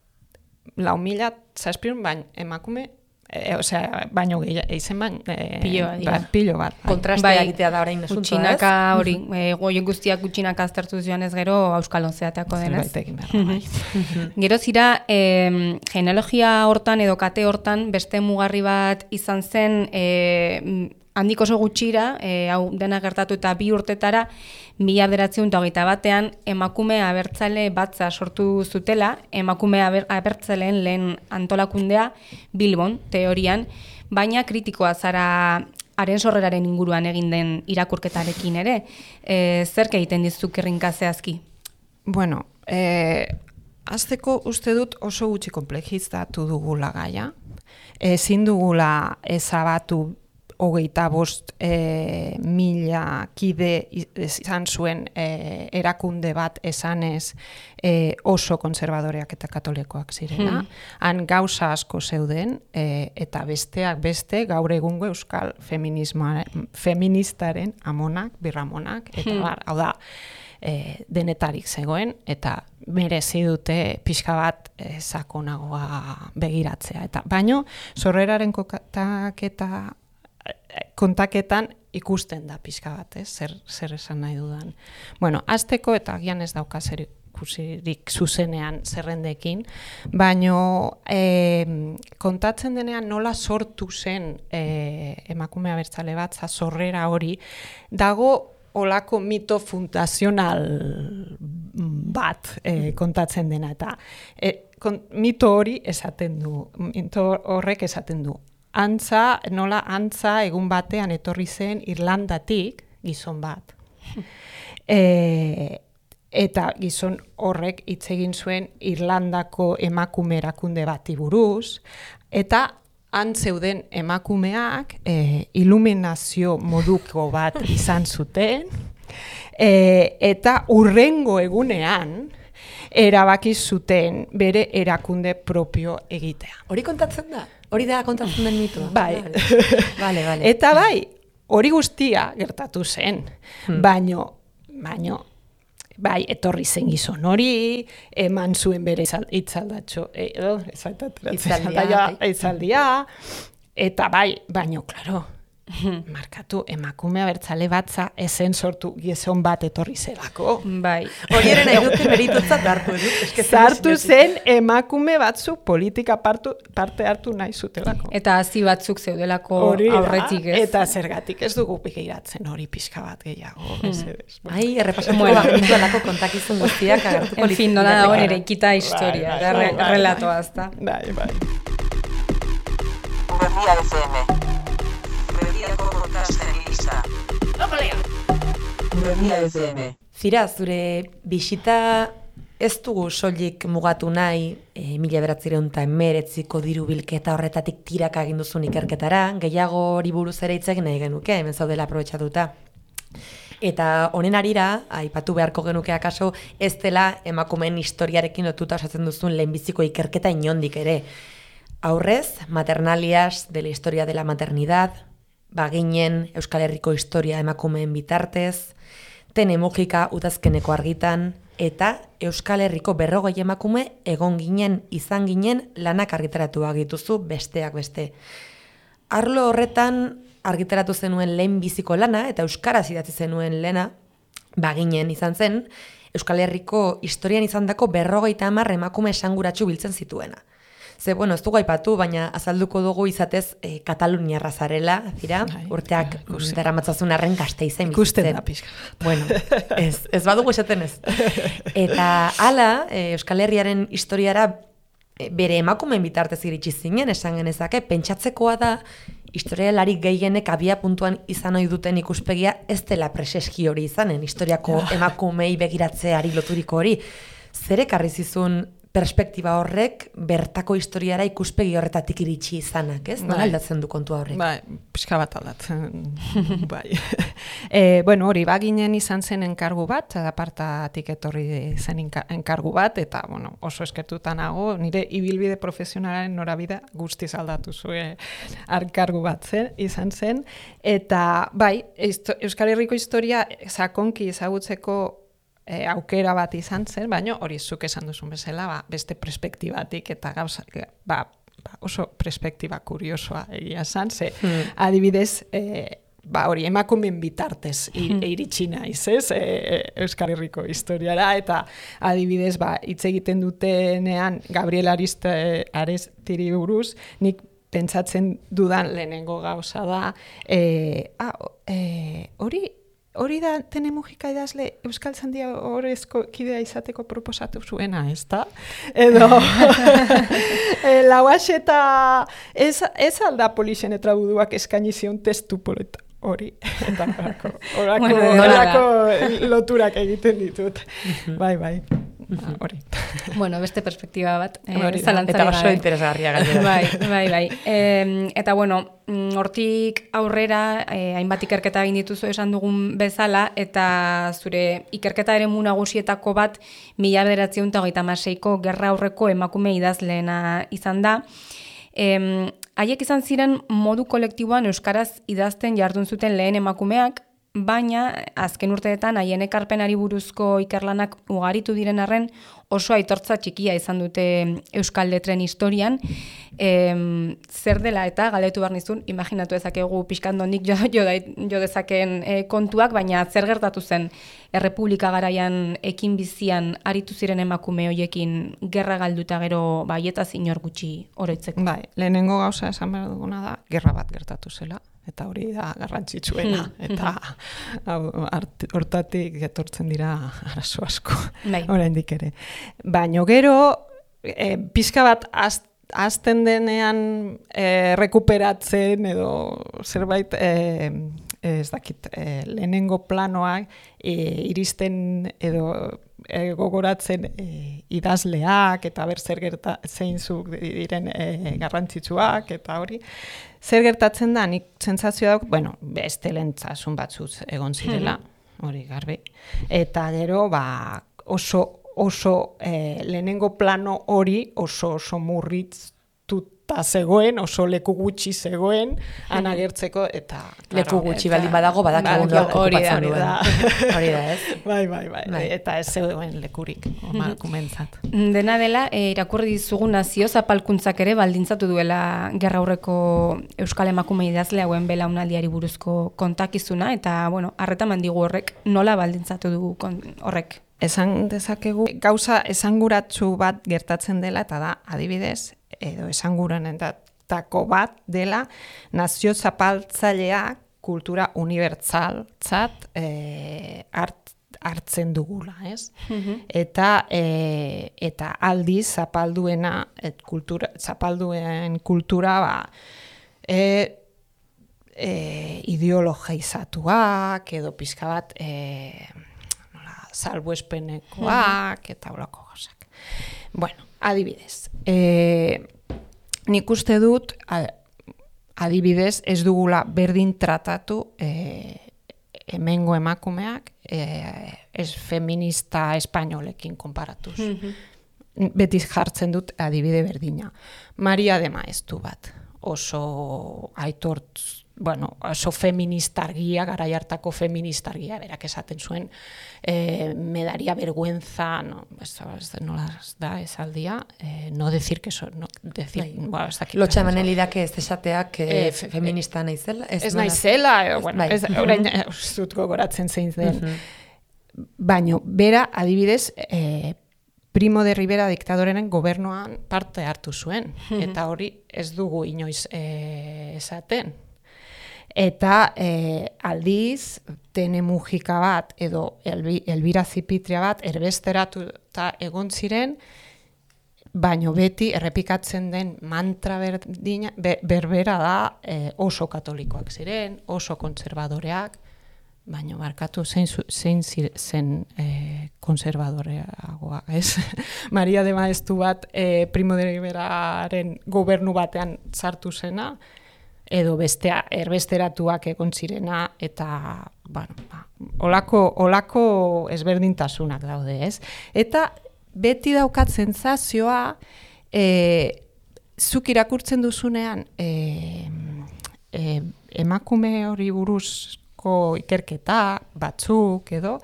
lau mila zazpion, baina emakume E, osea, baino gehiago, izen ban, e, Pilo bat dira. bat, pilo bat. bai. Kontrastea Bai, egitea da orain asuntoa, ez? Gutxinaka hori, e, goien guztiak gutxinaka aztertu joanez gero Euskalon zeateako denez. Zerbait egin behar da, bai. Gero zira, e, genealogia hortan edo kate hortan beste mugarri bat izan zen, e, handik oso gutxira, e, hau dena gertatu eta bi urtetara, mila bederatziehun eta hogeita batean emakume abertzale batza sortu zutela, emakume aber, abertzaleen lehen antolakundea Bilbon, teorian, baina kritikoa zara haren sorreraren inguruan egin den irakurketarekin ere. E, zerk egiten dizuk errinka zehazki? Bueno, eh, azteko uste dut oso gutxi komplejizatu dugula gaia. Ezin dugula ezabatu hogeita bost e, mila kide izan zuen e, erakunde bat esanez e, oso konservadoreak eta katolikoak zirela. Hmm. Han gauza asko zeuden e, eta besteak beste gaur egungo euskal feministaren amonak, birramonak, eta hmm. bar, hau da, e, denetarik zegoen, eta merezi dute pixka bat e, sakonagoa begiratzea. Eta baino, sorreraren kokatak eta kontaketan ikusten da pixka bat, eh? zer, zer esan nahi dudan. Bueno, azteko eta agian ez dauka zer ikusirik zuzenean zerrendekin, baino eh, kontatzen denean nola sortu zen eh, emakume abertzale bat, sorrera hori, dago olako mito fundazional bat eh, kontatzen dena, eta eh, kon, mito hori esaten du, mito horrek esaten du. Antza, nola antza egun batean etorri zen Irlandatik gizon bat. e, eta gizon horrek hitz egin zuen Irlandako emakume erakunde bati buruz, eta han zeuden emakumeak e, iluminazio moduko bat izan zuten, e, eta hurrengo egunean erabaki zuten bere erakunde propio egitea. Hori kontatzen da? Hori da kontatzen den mitoa? Bai. Vale, vale. Eta bai, hori guztia gertatu zen, hmm. baino, baino, bai, etorri zen gizon hori, eman zuen bere itzaldatxo, edo, itzaldia, itzaldia, eta bai, baino, klaro, markatu, emakume abertzale batza ezen sortu gizon bat etorri zelako. Bai. Hori ere nahi dute meritutzat hartu. Zartu zen emakume batzu politika partu, parte hartu nahi zutelako. Eta hazi batzuk zeudelako aurretik, ez? Eta zergatik ez dugu begiratzen hori pixka bat gehiago. Hmm. Ai, errepasatuko bueno. Bagitu alako kontakizun guztiak agertuko. En fin, nola dagoen ere ikita historia, bai, bai, bai, relatoa azta. Bai, bai. Berria F M. Berriako podcasten lista. Berria F M. Zira, zure bisita ez dugu soilik mugatu nahi e, mila bederatziehun eta hemeretziko diru bilketa horretatik tiraka egin duzun ikerketara, gehiago hori buruz ere hitz egin nahi genuke, hemen zaudela aprobetxatuta. Eta honen arira, aipatu beharko genuke akaso, ez dela emakumeen historiarekin lotuta osatzen duzun lehenbiziko ikerketa inondik ere. Aurrez, Maternalias de la historia de la maternidad, Baginen Euskal Herriko historia emakumeen bitartez, Tene Mujika udazkeneko argitan, eta Euskal Herriko berrogei emakume egon ginen, izan ginen lanak argitaratu agituzu besteak beste. Arlo horretan argitaratu zenuen lehen biziko lana, eta euskaraz idatzi zenuen lehena, Baginen izan zen, Euskal Herriko historian izandako berrogeita hamar emakume esanguratsu biltzen zituena. Ze, bueno, ez dugu aipatu, baina azalduko dugu izatez e, Kataluniarra zarela, zira, Ai, urteak daramatzazun arren Gasteizen bizitzen. Ikusten da pixka. Bueno, ez, ez badugu esaten ez. Eta hala, e, Euskal Herriaren historiara e, bere emakumeen bitartez iritsi zinen, esan genezake, pentsatzekoa da, historialari gehienek abia puntuan izan ohi duten ikuspegia ez dela preseski hori izanen, historiako emakumei begiratzeari loturiko hori. Zer ekarri zizun perspektiba horrek bertako historiara ikuspegi horretatik iritsi izanak, ez? Nola aldatzen du kontua horrek? Bai, pixka bat aldatzen, bai. e, bueno, hori, Baginen izan zen enkargu bat, apartatik etorri zen enkargu bat, eta, bueno, oso eskertuta nago, nire ibilbide profesionalaren norabida guztiz aldatu zuen enkargu bat zen, izan zen, eta, bai, Euskal Herriko historia sakonki ezagutzeko E, aukera bat izan zen, baina hori zuk esan duzun bezala, ba, beste perspektibatik eta gauza, ba, ba, oso perspektiba kuriosoa egia esan, ze adibidez, e, ba hori emakumeen bitartez iritsi naiz, ez? E, Euskal Herriko historiara eta adibidez ba hitz egiten dutenean Gabriel Ariste Arestiri buruz, nik pentsatzen dudan lehenengo gauza da, eh ah, eh hori Hori da Tene Mujika idazle Euskal Zandia Horezko kidea izateko proposatu zuena, ez da? Edo, e, lauaxeta ez, ez alda Polixen eta buduak eskaini zion testu poleta hori. Eta orako, orako, Bueno, orako loturak egiten ditut. Bai, bai. Hori. Bueno, beste perspektiba bat. Eh, Hori da, eta oso interesgarria gainera. Bai, bai, bai. E, eta bueno, hortik aurrera, eh, hainbat ikerketa egin dituzu esan dugun bezala, eta zure ikerketa eremu nagusietako bat mila bederatziehun eta hogeita hamaseiko gerra aurreko emakume idazleena izan da. E, haiek izan ziren modu kolektiboan euskaraz idazten jardun zuten lehen emakumeak, baina azken urteetan haien ekarpenari buruzko ikerlanak ugaritu diren arren oso aitortza txikia izan dute euskal letren historian. E, zer dela eta galdetu behar nizun, imaginatu dezakegu pixkandonik jo, jo, jo dezakeen e, kontuak, baina zer gertatu zen Errepublika garaian ekin bizian aritu ziren emakume hoiekin gerra galduta gero baietaz inor gutxi oroitzeko. Bai, lehenengo gauza esan behar duguna da, gerra bat gertatu zela. Eta hori da garrantzitsuena, eta hortatik etortzen dira arazo asko, bai. Oraindik ere. Baina gero, e, pixka bat azten denean e, rekuperatzen edo zerbait, e, ez dakit, e, lehenengo planoak e, iristen edo e, gogoratzen e, idazleak, eta ber zer gerta zeinzuk diren e, garrantzitsuak, eta hori. Zer gertatzen da, nik sentsazioa dauk, bueno, beste lentzasun batzuz egon zirela, hori garbi. Eta gero, ba, oso, oso eh, lehenengo plano hori oso oso murritztuta zegoen, oso leku gutxi zegoen, anagertzeko, eta... Leku gutxi baldin badago, badakigu hori da. Hori da, ez? Bai, bai, bai, bai. Eta ez zegoen lekurik, emakumeentzat. Dena dela, e, irakurri dizugu nazio zapalkuntzak ere baldintzatu duela gerra aurreko euskal emakume idazle hauen belaunaldiari buruzko kontakizuna, eta, bueno, harretan mandigu horrek nola baldintzatu du horrek. Esan dezakegu, gauza esanguratsu bat gertatzen dela, eta da, adibidez, edo esanguranetako bat dela, nazio zapaltzaileak kultura unibertsaltzat e, hart, hartzen dugula, ez? Mm-hmm. Eta, e, eta aldiz zapalduena, et kultura, zapalduen kultura, ba, e, e, ideologizatuak, edo pixka bat, e, salbuespenekoak, eta holako gauzak. Bueno, adibidez, e, nik uste dut, adibidez, ez dugula berdin tratatu e, hemengo emakumeak e, ez feminista espainolekin konparatuz. Mm-hmm. Beti jartzen dut adibide berdina. Maria de Maeztu bat, oso aitortz, bueno, oso feministargia, garai hartako feministargia, berak esaten zuen, eh, me daría vergüenza, no, ez, ez, nola da esaldia, eh, no decir que so, no, decir, bai. Bueno, ez dakit. Lotxa manelidake ez esateak eh, eh, feminista naizela? Ez, ez naizela, eh, bueno, bai. Ez, orain ez dut gogoratzen zein den. Uh-huh. Baino, bera, adibidez, eh, Primo de Rivera diktadorenen gobernuan parte hartu zuen, uh-huh. Eta hori ez dugu inoiz eh, esaten. Eta e, aldiz, Tene Mujika bat edo Elbi, Elbira Zipitria bat erbesteratuta egon ziren, baino beti errepikatzen den mantra berdina, be, berbera da e, oso katolikoak ziren, oso kontserbadoreak, baino barkatu zein, zein zen e, kontserbadoreagoa, ez? Maria de Maeztu bat e, Primo de Riveraren gobernu batean sartu zena, edo bestea erbesteratuak egon zirena, eta, bueno, ba, olako, olako ezberdintasunak daude, ez? Eta beti daukat sentsazioa, e, zuk irakurtzen duzunean, e, e, emakume hori buruzko ikerketa batzuk, edo,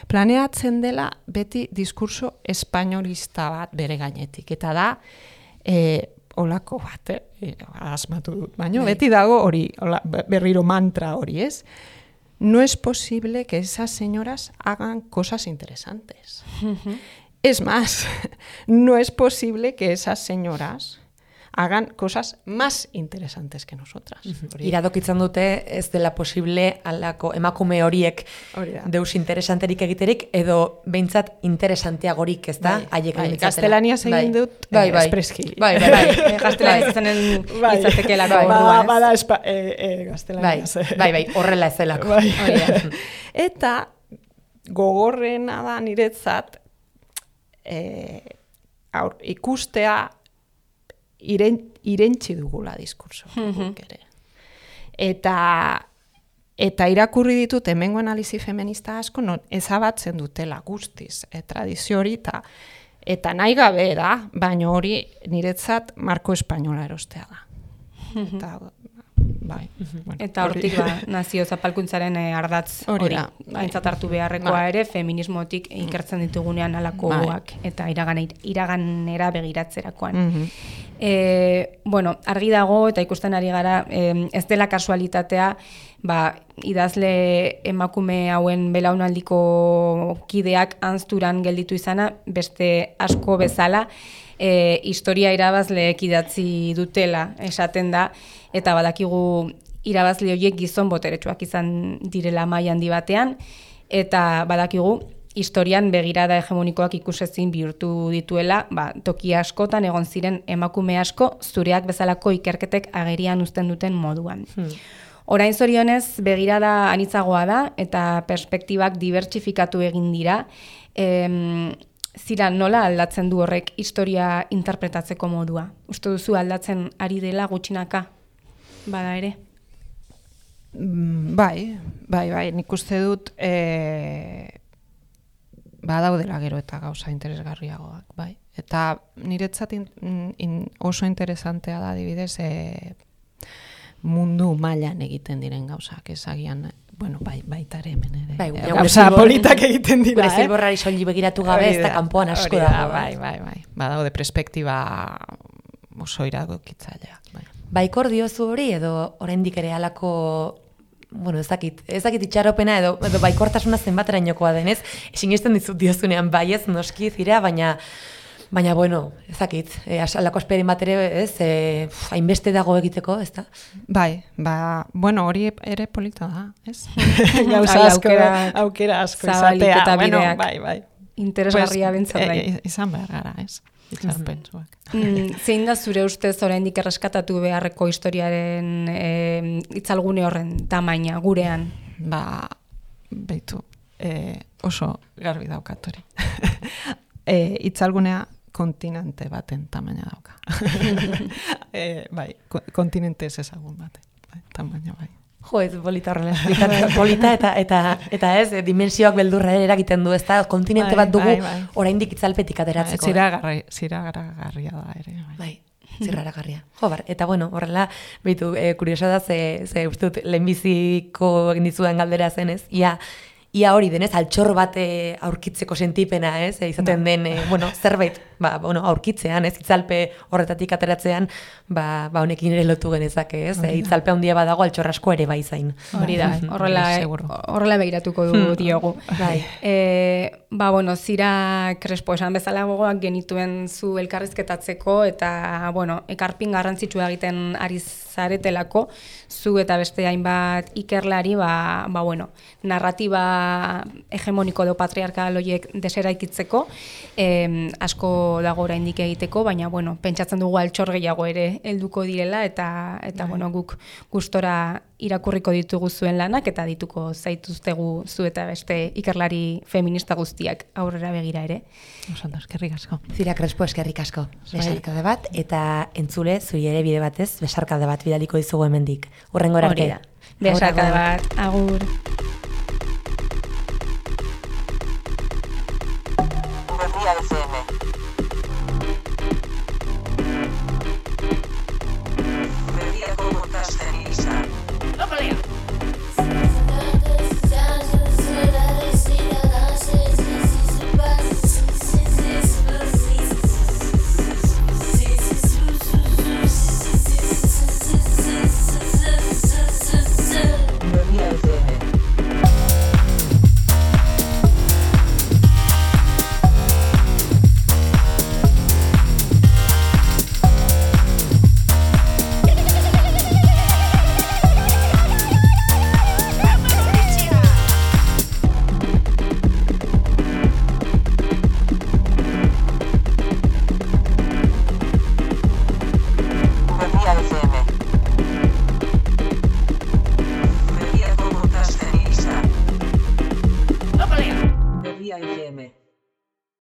planeatzen dela beti diskurso espainolista bat bere gainetik. Eta da, e, olako bat, eh? asmatu dut, baina beti dago hori, hola, berriro mantra hori, ez? No es posible que esas señoras hagan cosas interesantes. Uh-huh. Es más, no es posible que esas señoras hagan cosas más interesantes que nosotras. Uh-huh. Iradokitzen dute ez dela posible alako emakume horiek deus interesanterik egiterik, edo behintzat interesanteagorik, ez da? Bai, bai, gaztelaniaz egin dut bai, bai, espreski. Bai, bai, bai. Gaztelaniaz zenen izatekelako bai, orduan, ez? Bada espa, e, e, gaztelaniaz. Bai, bai, bai, horrela ez delako. Bai. Eta gogorrena da niretzat e, aur, ikustea Iren, irentzi dugula diskurso. Mm-hmm. ere. Eta, eta irakurri ditut hemengo analizi feminista asko non ezabatzen dutela guztiz e, tradizio hori eta, eta nahi gabe da, baina hori niretzat marko espainola erostea da. Mm-hmm. Eta, bai. Mm-hmm. Bueno, eta hortik ba, nazio zapalkuntzaren eh, ardatz hori aintzat hartu beharrekoa bai. Ere feminismotik ikertzen ditugunean alakoak bai. Eta iragan, iraganera begiratzerakoan. Mm-hmm. E, bueno, argi dago eta ikusten ari gara e, ez dela kasualitatea ba, idazle emakume hauen belaunaldiko kideak anzturan gelditu izana beste asko bezala e, historia irabazleek idatzi dutela esaten da eta badakigu irabazle horiek gizon boteretsuak izan direla maila handi batean eta badakigu historian begirada hegemonikoak ikusezin bihurtu dituela, ba, toki askotan egon ziren emakume asko zureak bezalako ikerketek agerian uzten duten moduan. Hmm. Orain zorionez begirada anitzagoa da eta perspektibak dibertsifikatu egin dira. Em, zira nola aldatzen du horrek historia interpretatzeko modua? Uste duzu aldatzen ari dela gutxinaka? Bada ere? Bai, bai, bai, nik uste dut e... badaudela gero eta gauza interesgarriagoak, bai. Eta niretzat in, in, oso interesantea da adibidez e, mundu mailan egiten diren gauzak, ezagian, bueno, bai, baita ere hemen ere. Bai, e, gauza politak egiten dira, gure zilborrari soli begiratu gabe, ez da kanpoan asko dago. Bai, bai, bai. Badaude perspektiba oso iradokitzaileak, bai. Baikor diozu hori edo oraindik ere halako bueno, ez dakit, ez dakit itxaropena edo, edo baikortasuna zenbaterainokoa denez, sinesten dizut diozunean baiez noski zira, baina baina bueno, ez dakit, e, alako esperin bat ere, ez, e, hainbeste dago egiteko, ez da? Bai, ba, bueno, hori ere polita da, ez? Gauza asko, aukera, aukera asko izatea, bueno, bai, bai. Interesgarria pues, bentzat bai. E, izan behar gara, ez? Itzarpentsuak. Mm, zein da zure ustez oraindik erreskatatu beharreko historiaren e, itzalgune horren tamaina gurean? Ba, beitu, e, oso garbi daukat hori. e, itzalgunea kontinente baten tamaina dauka. e, bai, kontinente ez ezagun baten, bai, tamaina bai. Jo, ez polita horrela, polita eta, eta, eta ez, dimensioak beldurra eragiten du, ez da, kontinente bat dugu bai, bai. Oraindik itzalpetik ateratzeko. Bai, ziragaragarria da ere. Bai, bai ziragaragarria. Jo, bar, eta bueno, horrela, behitu, e, kuriosa da, ze, ze uste dut, lehenbiziko egin dizudan galdera zen, ez, ia, ia hori denez, altxor bat aurkitzeko sentipena, ez, e, izaten den, e, bueno, zerbait, ba, bueno, aurkitzean, ez, itzalpe horretatik ateratzean, ba, ba honekin ere lotu genezake, ez, e, itzalpe handia badago altxor asko ere bai zain. Hori da, horrela, horrela begiratuko du diogu. Bai. E, ba, bueno, Zira Crespo esan bezala gogoak genituen zu elkarrizketatzeko, eta, bueno, ekarpin garrantzitsua egiten ari zaretelako, zu eta beste hainbat ikerlari, ba, ba bueno, narratiba hegemoniko edo patriarkal horiek deseraikitzeko, eh, asko dago oraindik egiteko, baina bueno, pentsatzen dugu altxor gehiago ere helduko direla eta eta bueno, guk gustora irakurriko ditugu zuen lanak eta dituko zaituztegu zu eta beste ikerlari feminista guztiak aurrera begira ere. Oso ondo, eskerrik asko. Zira Crespo, eskerrik asko. Besarkade bat eta entzule zui ere bide batez besarkade bat bidaliko dizugu hemendik. Hurrengora arte. Besarkade bat. Agur.